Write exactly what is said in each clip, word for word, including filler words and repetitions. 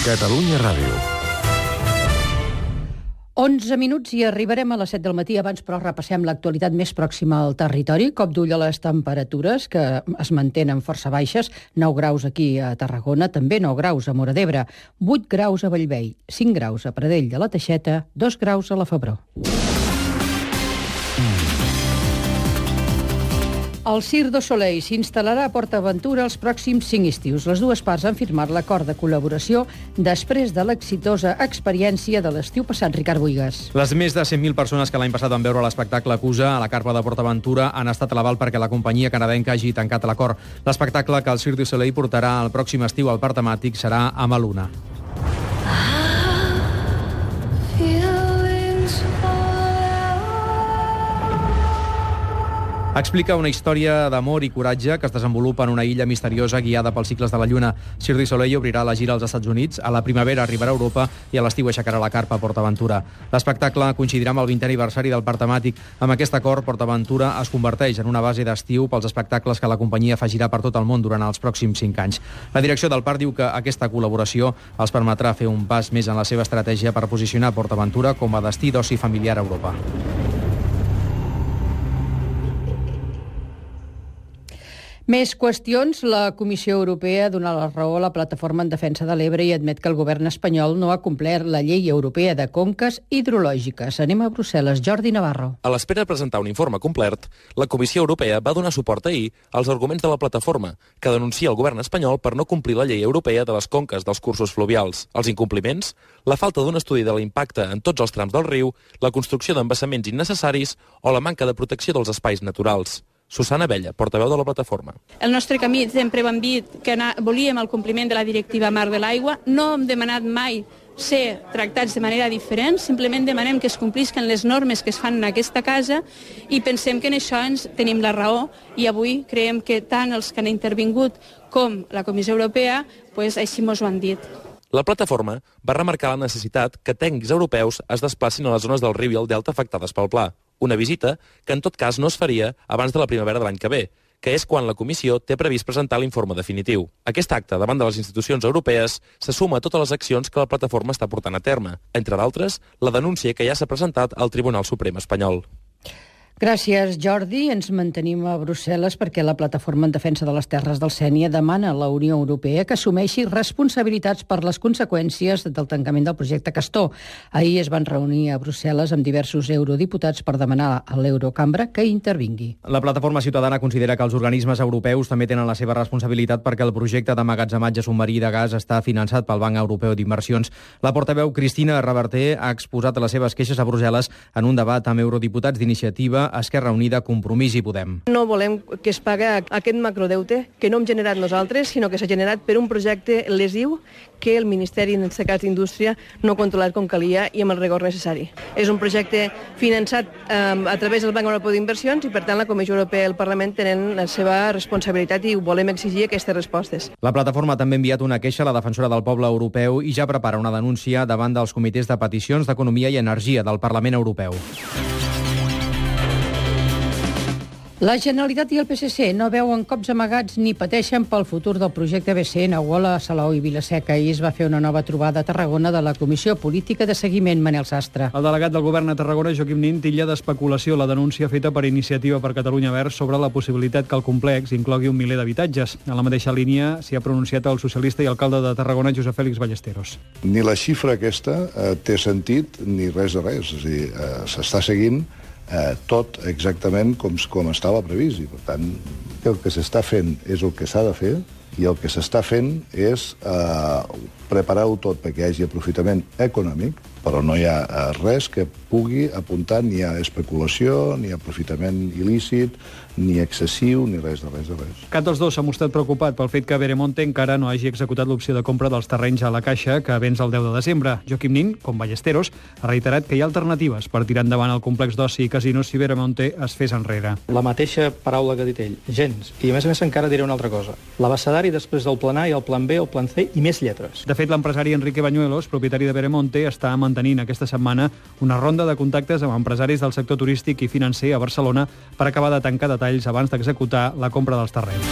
Catalunya Ràdio. onze minuts i arribarem a les set del matí. Abans, però, repassem l'actualitat més pròxima al territori. Cop d'ull a les temperatures, que es mantenen força baixes. nou graus aquí a Tarragona, també nou graus a Móra d'Ebre, vuit graus a Bellvei, cinc graus a Pradell de la Teixeta, dos graus a la Febró. El Cirque du Soleil s'instal·larà a PortAventura els pròxims cinc estius. Les dues parts han firmat l'acord de col·laboració després de l'exitosa experiència de l'estiu passat. Ricard Buigas. Les més de cent mil persones que l'any passat van veure l'espectacle Acusa a la carpa de PortAventura han estat a l'aval perquè la companyia canadenca hagi tancat l'acord. L'espectacle que el Cirque du Soleil portarà el pròxim estiu al parc temàtic serà a Maluna. Explica una història d'amor i coratge que es desenvolupa en una illa misteriosa guiada pels cicles de la Lluna. Cirque du Soleil obrirà la gira als Estats Units, a la primavera arribarà a Europa i a l'estiu aixecarà la carpa a PortAventura. L'espectacle coincidirà amb el vintè aniversari del parc temàtic. Amb aquest acord, PortAventura es converteix en una base d'estiu pels espectacles que la companyia afegirà per tot el món durant els pròxims cinc anys. La direcció del parc diu que aquesta col·laboració els permetrà fer un pas més en la seva estratègia per posicionar PortAventura com a destí d'oci familiar a Europa. Més qüestions. La Comissió Europea dona la raó a la Plataforma en Defensa de l'Ebre i admet que el govern espanyol no ha complert la llei europea de conques hidrològiques. Anem a Brussel·les. Jordi Navarro. A l'espera de presentar un informe complet, la Comissió Europea va donar suport ahir als arguments de la plataforma, que denuncia el govern espanyol per no complir la llei europea de les conques dels cursos fluvials. Els incompliments, la falta d'un estudi de l'impacte en tots els trams del riu, la construcció d'embassaments innecessaris o la manca de protecció dels espais naturals. Susana Abella, portaveu de la plataforma. El nostre camí sempre vam dir que anar, volíem el compliment de la directiva Mar de l'Aigua. No hem demanat mai ser tractats de manera diferent, simplement demanem que es complisquen les normes que es fan en aquesta casa i pensem que en això ens tenim la raó i avui creiem que tant els que han intervingut com la Comissió Europea pues, així mos ho han dit. La plataforma va remarcar la necessitat que tècnics europeus es desplacin a les zones del riu i el delta afectades pel pla. Una visita que en tot cas no es faria abans de la primavera de l'any que ve, que és quan la Comissió té previst presentar l'informe definitiu. Aquest acte davant de les institucions europees se suma a totes les accions que la plataforma està portant a terme, entre d'altres, la denúncia que ja s'ha presentat al Tribunal Suprem espanyol. Gràcies, Jordi. Ens mantenim a Brussel·les perquè la Plataforma en Defensa de les Terres del Sénia demana a la Unió Europea que assumeixi responsabilitats per les conseqüències del tancament del projecte Castor. Ahir es van reunir a Brussel·les amb diversos eurodiputats per demanar a l'Eurocambra que intervingui. La Plataforma Ciutadana considera que els organismes europeus també tenen la seva responsabilitat perquè el projecte d'emmagatzematge submarí de gas està finançat pel Banc Europeu d'Inversions. La portaveu Cristina Reverter ha exposat les seves queixes a Brussel·les en un debat amb eurodiputats d'Iniciativa, Esquerra Unida, Compromís i Podem. No volem que es pagui aquest macrodeute que no hem generat nosaltres, sinó que s'ha generat per un projecte lesiu que el Ministeri, en aquest cas d'Indústria, no ha controlat com calia i amb el rigor necessari. És un projecte finançat eh, a través del Banc Europeu d'Inversions i, per tant, la Comissió Europea i el Parlament tenen la seva responsabilitat i volem exigir aquestes respostes. La plataforma també ha enviat una queixa a la defensora del poble europeu i ja prepara una denúncia davant dels comitès de peticions d'Economia i Energia del Parlament Europeu. La Generalitat i el P S C no veuen cops amagats ni pateixen pel futur del projecte B C N a Uola, Salou i Vilaseca. Ahir es va fer una nova trobada a Tarragona de la Comissió Política de Seguiment, Manel Sastre. El delegat del govern a Tarragona, Joaquim Nin, titlla d'especulació la denúncia feta per Iniciativa per Catalunya Verds sobre la possibilitat que el complex inclogui un miler d'habitatges. En la mateixa línia s'hi ha pronunciat el socialista i alcalde de Tarragona, Josep Fèlix Ballesteros. Ni la xifra aquesta eh, té sentit ni res de res. És a dir, eh, s'està seguint Eh, tot exactament com, com estava previst. I, per tant, el que s'està fent és el que s'ha de fer i el que s'està fent és eh, preparar-ho tot perquè hi hagi aprofitament econòmic, però no hi ha eh, res que pugui apuntar ni a especulació, ni a aprofitament il·lícit, ni excessiu, ni res de res de res. Cap dels dos s'ha mostrat preocupat pel fet que Veremonte encara no hagi executat l'opció de compra dels terrenys a la Caixa que venç el deu de desembre. Joaquim Nin, com Ballesteros, ha reiterat que hi ha alternatives per tirar endavant el complex d'oci i casinos si Veremonte es fes enrere. La mateixa paraula que ha dit ell, gens. I a més a més encara diré una altra cosa. L'abecedari després del plan A i el plan B, el plan C i més lletres. De fet, l'empresari Enrique Bañuelos, propietari de Veremonte, està mantenint aquesta setmana una ronda de contactes amb empresaris del sector turístic i financer a Barcelona per acabar de tancar detalls abans d'executar la compra dels terrenys.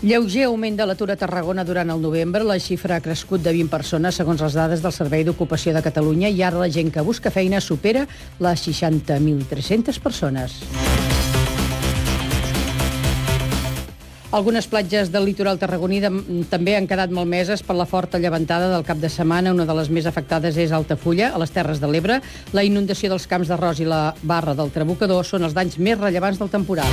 Lleuger augment de l'atur a Tarragona durant el novembre. La xifra ha crescut de vint persones, segons les dades del Servei d'Ocupació de Catalunya, i ara la gent que busca feina supera les seixanta mil tres-centes persones. Algunes platges del litoral tarragoní també han quedat malmeses per la forta llevantada del cap de setmana. Una de les més afectades és Altafulla, a les Terres de l'Ebre. La inundació dels camps d'arròs i la barra del Trabucador són els danys més rellevants del temporal.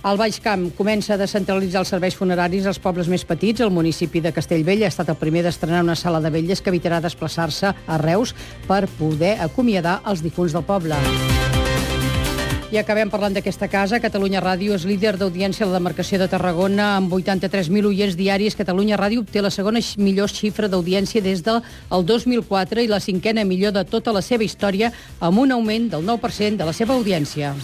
El Baix Camp comença a descentralitzar els serveis funeraris als pobles més petits. El municipi de Castellvell ha estat el primer d'estrenar una sala de vetlles que evitarà desplaçar-se a Reus per poder acomiadar els difunts del poble. I acabem parlant d'aquesta casa. Catalunya Ràdio és líder d'audiència a la demarcació de Tarragona amb vuitanta-tres mil oients diaris. Catalunya Ràdio obté la segona millor xifra d'audiència des del dos mil quatre i la cinquena millor de tota la seva història, amb un augment del nou per cent de la seva audiència.